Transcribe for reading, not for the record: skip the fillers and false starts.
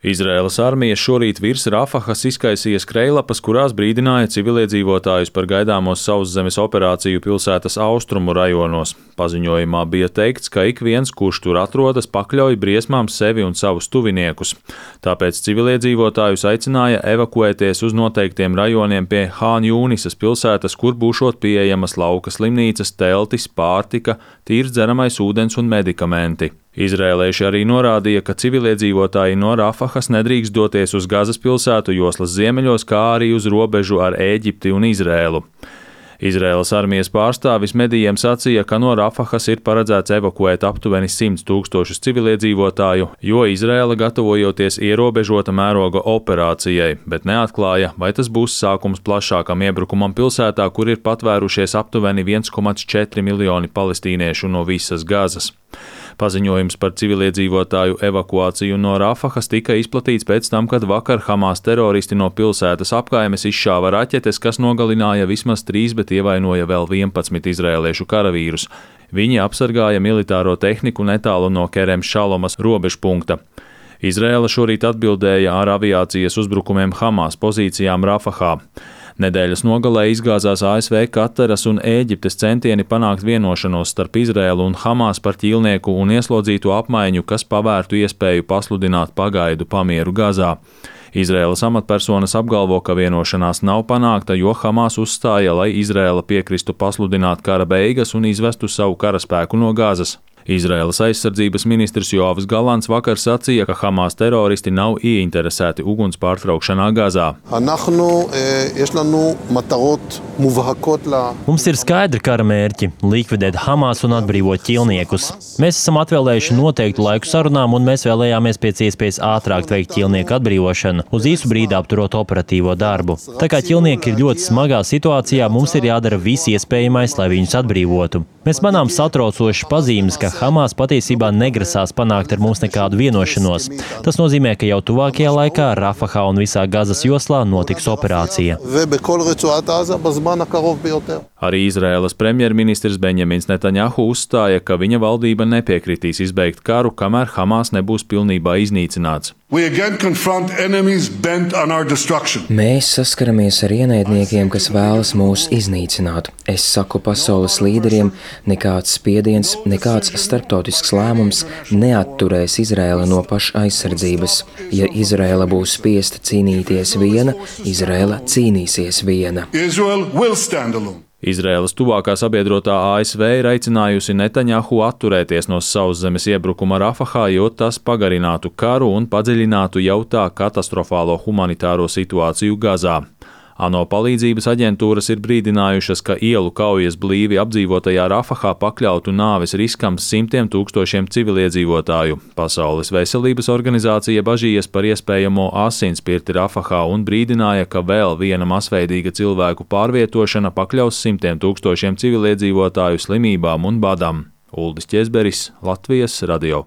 Izraēlas armija šorīt virs Rafahas izkaisīja skrejlapas, kurās brīdināja civiliedzīvotājus par gaidāmo sauszemes operāciju pilsētas austrumu rajonos. Paziņojumā bija teikts, ka ik viens, kurš tur atrodas, pakļauj briesmām sevi un savus tuviniekus. Tāpēc civiliedzīvotājus aicināja evakuēties uz noteiktiem rajoniem pie Hān Jūnisas pilsētas, kur būšot pieejamas lauka slimnīcas, teltis, pārtika, tīrs dzeramais ūdens un medikamenti. Izrēlieši arī norādīja, ka civiliedzīvotāji no Rafahas nedrīkst doties uz Gazas pilsētu joslas ziemeļos, kā arī uz robežu ar Ēģipti un Izrēlu. Izrēlas armijas pārstāvis medijiem sacīja, ka no Rafahas ir paredzēts evakuēt aptuveni 100 000 civiliedzīvotāju, jo Izrēla gatavojoties ierobežota mēroga operācijai, bet neatklāja, vai tas būs sākums plašākam iebrukumam pilsētā, kur ir patvērušies aptuveni 1,4 miljoni palestīniešu no visas Gazas. Paziņojums par civiliedzīvotāju evakuāciju no Rafahas tika izplatīts pēc tam, kad vakar Hamas teroristi no pilsētas apkaimes izšāva raķetes, kas nogalināja vismaz 3, bet ievainoja vēl 11 izrēliešu karavīrus. Viņi apsargāja militāro tehniku netālu no Kerem Šalomas robežpunkta. Izrēla šorīt atbildēja ar aviācijas uzbrukumiem Hamas pozīcijām Rafahā. Nedēļas nogalē izgāzās ASV, Kataras un Ēģiptes centieni panākt vienošanos starp Izrēlu un Hamas par ķīlnieku un ieslodzīto apmaiņu, kas pavērtu iespēju pasludināt pagaidu pamieru Gazā. Izrēlas amatpersonas apgalvo, ka vienošanās nav panākta, jo Hamas uzstāja, lai Izrēla piekristu pasludināt kara beigas un izvestu savu karaspēku no Gazas. Izraēlas aizsardzības ministrs Joavs Galants vakar sacīja, ka Hamas teroristi nav ieinteresēti uguns pārtraukšanā Gazā. Mums ir skaidri kara mērķi – likvidēt Hamas un atbrīvot ķīlniekus. Mēs esam atvēlējuši noteiktu laiku sarunām, un mēs vēlējāmies pēc iespējas ātrāk veikt ķīlnieku atbrīvošanu, uz īsu brīdi apturot operatīvo darbu. Tā kā ķīlnieki ir ļoti smagā situācijā, mums ir jādara viss iespējamais, lai viņus atbrīvotu. Mēs manām satraucošas pazīmes, ka Hamas patiesībā negrasās panākt ar mums nekādu vienošanos. Tas nozīmē, ka jau tuvākajā laikā Rafahā un visā Gazas joslā notiks operācija. Arī Izraēlas premjerministrs Benjamins Netanjahu uzstāja, ka viņa valdība nepiekritīs izbeigt karu, kamēr Hamas nebūs pilnībā iznīcināts. Mēs saskaramies ar ienaidniekiem, kas vēlas mūs iznīcināt. Es saku pasaules līderiem, nekāds spiediens, nekāds starptautisks lēmums neatturēs Izraēlu no paša aizsardzības. Ja Izraēla būs spiesta cīnīties viena, Izraēla cīnīsies viena. Izraēlas tuvākā sabiedrotā ASV ir aicinājusi Netanjahu atturēties no sauszemes iebrukuma Rafahā, jo tas pagarinātu karu un padziļinātu jau tā katastrofālo humanitāro situāciju Gazā. ANO palīdzības aģentūras ir brīdinājušas, ka ielu kaujas blīvi apdzīvotajā Rafahā pakļautu nāves riskam 100 000 civiliedzīvotāju. Pasaules veselības organizācija bažījies par iespējamo asinsspirti Rafahā un brīdināja, ka vēl viena masveidīga cilvēku pārvietošana pakļaus 100 000 civiliedzīvotāju slimībām un badam. Uldis Ķezberis, Latvijas radio.